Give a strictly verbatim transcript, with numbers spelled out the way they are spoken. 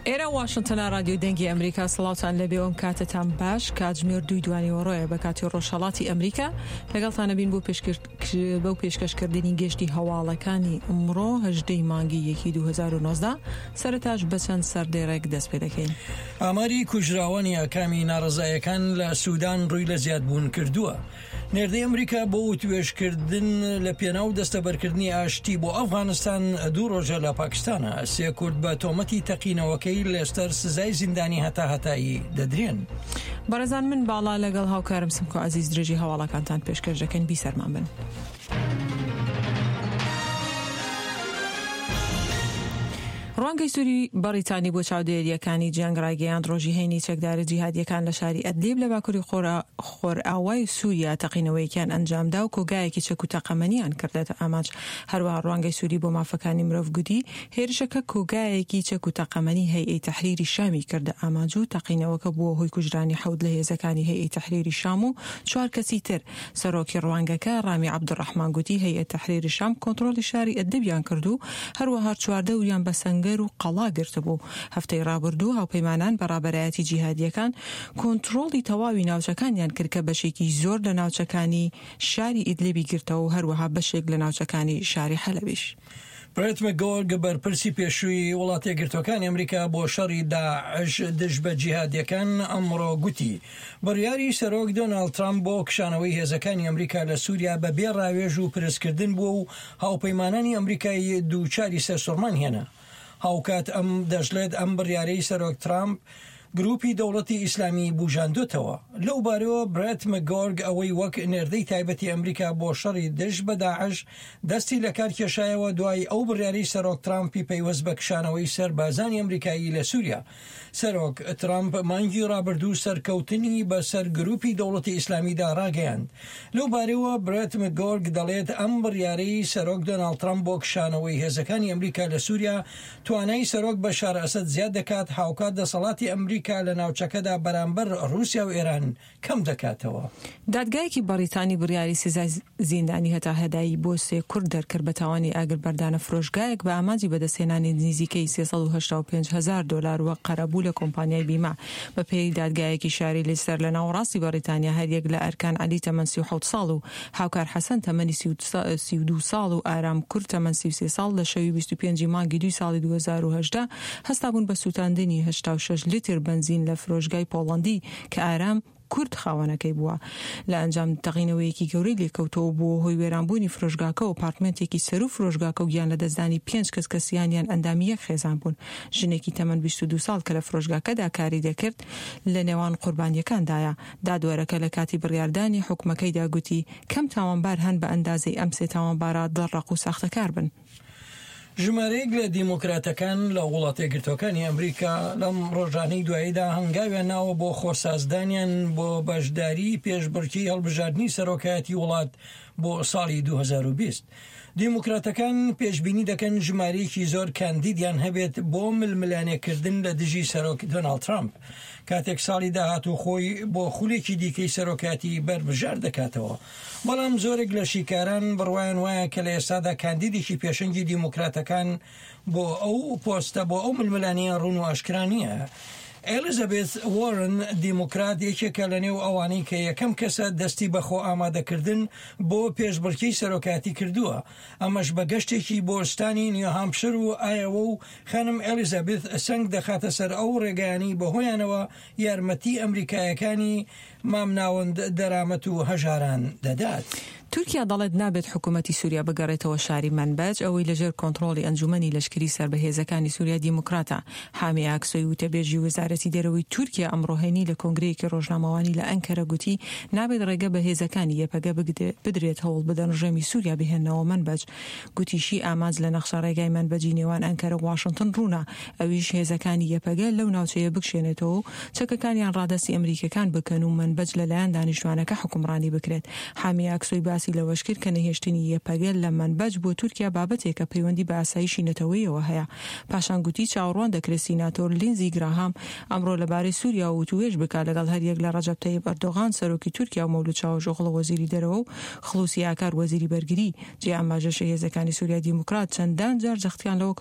ئێرە واشنتنە، رادیۆی دەنگی ئەمریکا. سڵاوتان لەبێ، ئەم کاتەتان باش. کاتژمێر دووی دوانیوەڕۆیە بە کاتی ڕۆژهەڵاتی ئەمریکا. لەگەڵتانە بین بۆ بەو پێشکەشکردنی گەشتی هەواڵەکانی ئەمڕۆ هەژدەی مانگی یەکی دوو هەزار و نۆزدە. سەرەتاش بەچەند سەردێڕێک دەست پێ دەکەین. ئاماری کوژراوانی ئاکامی ناڕەزایەکان لە سودان ڕووی لە زیادبوون کردووە. نێردەی ئەمریکا بۆ وتوێژکردن لە پێناو دەستەبەرکردنی ئاشتی بۆ ئەفغانستان دوو ڕۆژە لە پاکستانە. سێ کورد بە تۆمەتی تەقینەوەکەی لێستەر سزای زیندانی هەتا هەتایی دەدرێن. بەڕێزان، من باڵا لەگەڵ هاوکارم سمکۆ عزیز درێژی هەواڵەکانتان پێشکەش دەکەن. بیسەرمان بن. ڕوانگەی سووری بەڕیتانی بۆ چاودێریەکانی جەنگ ڕایگەیاند، ڕۆژی هەینی چەکدارە جیهادیەکان لە شاری ئەدلیب لە باکووری خۆرئاوای سووریا تەقینەوەیەکیان ئەنجامدا و کۆگایەکی چەک و تەقەمەنیان کردێتە ئامانج. هەروەها ڕوانگەی سووری بۆ مافەکانی مرۆڤ گوتی هێرشەکە کۆگایەکی چەک و تەقەمەنی هەیئەی تەحریری شامی کردە ئامانج و تەقینەوەکە بووە هۆی کوژرانی حەوت لە هێزەکانی هەیئەی تەحریری شام و چوار کەسی تر. سەرۆکی ڕوانگەکە ڕامی عەبدولڕەحمان گوتی هەیئەت تەحریری شام کۆنترۆڵی شاری ئەدلیبیان کرد و هەروەها چواردەوریان بە سەنگەر و قەڵا گرتبوو. هەفتەی ڕابردوو هاوپەیمانان بە ڕابەرایەتی جیهادیەکان کۆنترۆڵی تەواوی ناوچەکانیان کرد کە بەشێکی زۆر لە ناوچەکانی شاری ئیدلیبی گرتەوە و هەروەها بەشێک لە ناوچەکانی شاری حەلەبیش. برێت مەگۆرگ، بەرپرسی پێشووی وڵاتە یەکگرتووەکانی ئەمریکا بۆ شەڕی داعش دژ بە جیهادیەکان، ئەمڕۆ گوتی بڕیاری سەرۆک دۆناڵد ترامپ بۆ کشانەوەی هێزەکانی ئەمریکا لە سووریا بە بێ ڕاوێژ و پرسکردن بووە و هاوپەیمانانی ئەمریکای دووچاری سەرسوڕمان هێنا. هاوکات ئەم دەشڵێت ئەم بڕیارەی سەرۆک ترامپ گروپی دەوڵەتی ئیسلامی بژاندوتەوە. لەو بارەوە برێت مەگۆرگ ئەوەی وەک نێردەی تایبەتی ئەمریکا بۆ شەڕی دژ بە داعش دەستی لە کار کێشایەوە، دوای ئەو بڕیاری سەرۆک ترامپی پەیوەست بە کشانەوەی سەربازانی ئەمریکایی لە سووریا. سەرۆک ترامپ مانگی ڕابردوو سەرکەوتنی بەسەر گروپی دەوڵەتی ئیسلامیدا ڕاگەیاند. لەو بارەوە برێت مەگۆرگ دەڵێت ئەم بڕیارەی سەرۆک دۆناڵد ترامپ بۆ کشانەوەی هێزەکانی ئەمریکا لە سووریا توانای سەرۆک بەشار ئەسەد زیاد دەکات، هاوکات دەسەڵاتی ئەمریکا لە ناوچەکەدا بەرامبەر رووسیا و ئێران کەم دەکاتەوە. دادگایەکی بەڕیتانی بڕیاری سزای زیندانی هەتا هەدایی بۆ سێ کورد دەرکرد بە تاوانی ئاگر بەردانە فرۆشگایەک بە ئامانجی بەدەستهێنانی نزیکەی سێ سەد و هەشتا و پێنج هەزار دلار وەک قەرەبوو لە کۆمپانیای بیمە. بە پێی دادگایەکی شاری لیستەر لە ناوەڕاستی بەڕیتانیا، هەریەک لە ئەرکان عەلی تەمەن سی و حەوت ساڵ و هاوکار حەسەن تەمەنی سی و دوو ساڵ و ئارام کورد تەمەن سی و سێ ساڵ لە شەوی بیست و پێنج مانگی دوی ساڵی دوو هەزار و هەژدە هەستابوون بە سووتاندنی هەشتا و شەش لیتر بەنزین لە فرۆشگای پۆڵەندی کە ئارام کورد خاوەنەکەی بووە. لە ئەنجام تەقینەوەیەکی گەورەی لێکەوتەوە بووە هۆی وێرانبوونی فرۆشگاکە و ئەپارتمنتێکی سەر و فرۆشگاکە و گیان لە دەستدانی پێنج کەس کە سیانیان ئەندامی یەک خێزان بوون. ژنێکی تەمەن بیست و دوو ساڵ کە لە فرۆشگاکەدا کاری دەکرد لە نێوان قوربانیەکاندایە. دادوەرەکە لە کاتی بڕیاردانی حکومەکەیدا گوتی کەم تاوانبار هەن بە ئەندازەی ئەم سێ تاوانبارە دڵڕەق و ساختەکار بن. ژمارەیەک لە دیموکراتەکان لە وڵاتە یەکگرتووەکانی ئەمریکا لەم ڕۆژانەی دواییدا هەنگاویان ناوە بۆ خۆسازدانیان بۆ بەشداری پێشبڕکی هەڵبژاردنی سەرۆکایەتی وڵات بۆ ساڵی دوو هەزار و بیست. دیموکراتەکان پێشبینی دەکەن ژمارەیەکی زۆر کاندیدیان هەبێت بۆ ململانێکردن لە دژی سەرۆک دۆناڵد ترامپ کاتێک ساڵی داهاتوو خۆی بۆ خولێکی دیکەی سەرۆکاتی بەربژار دەکاتەوە. بەڵام زۆرێک لە شیکاران بڕوایان وایە کە لە ئێستادا کاندیدێکی پێشەنگی دیموکراتەکان بۆ ئەو پۆستە بۆ ئەو ململانیە ڕوون و ئاشکرا نییە. ئێلیزابێث وۆرن دیموکرات یەکێکە لە نێو ئەوانەی کە یەکەم کەسە دەستی بەخۆ ئامادەکردن بۆ پێشبڕکێی سەرۆکاتی کردووە، ئەمەش بە گەشتێکی بۆ ستانی نیوهامپشر و ئایەوە و خانم ئێلیزابێث سەنگ دەخاتە سەر ئەو ڕێگایانەی بەهۆیانەوە یارمەتی ئەمریکایەکانی مامناوەند دەرامەت و هەژاران دەدات. تورکیا دەڵێت نابێت حکوومەتی سووریا بگەڕێتەوە شاری مەنبەج ئەوەی لەژێر کۆنترۆڵی ئەنجومەنی لەشکری سەر بە هێزەکانی سووریا دیموکراتە. حامی ئاکسۆی وتەبێژی وەزارەتی دەرەوەی تورکیا ئەمڕۆ هەینی لە کۆنگرەیەکی ڕۆژنامەوانی لە ئەنکەرە گوتی نابێت ڕێگە بە هێزەکانی یەپەگە بدرێت هەوڵ بدەن ڕژێمی سووریا بهێننەوە مەنبەج. گوتیشی ئامانج لە نەخشە ڕێگای مەنبەجی نێوان ئەنکەرە و واشنگتن ڕوونە، ئەویش هێزەکانی یەپەگە لەو ناوچەیە بکشێنێتەوە و چەکەکانیان ڕادەستی ئەمریکەکان بکەن و مەنبەج لەلایەن دانیشتوانەکە حکومڕانی بکرێت. حامی ئاکسۆی باسی لەوەش کرد کە نەهێشتنی یەپەگە لە مەنبەج بۆ تورکیا بابەتێکە پەیوەندی بە ئاسایشی نەتەوەیەوە هەیە. پاشان گوتی چاوەڕوان دەکرێت سیناتۆر لینزی گراهام ئەمڕۆ لەبارەی سووریا وتوێژ بکات لەگەڵ هەریەک لە ڕەجەب تەیب ئەردۆغان سەرۆکی تورکیا و مەولود چاوشئۆغڵو وەزیری دەرەوە و خلوسی ئاکار وەزیری بەرگری. جێ ئاماژەشە هێزەکانی سووریا دیموکرات چەندان جار جەختیان لەوە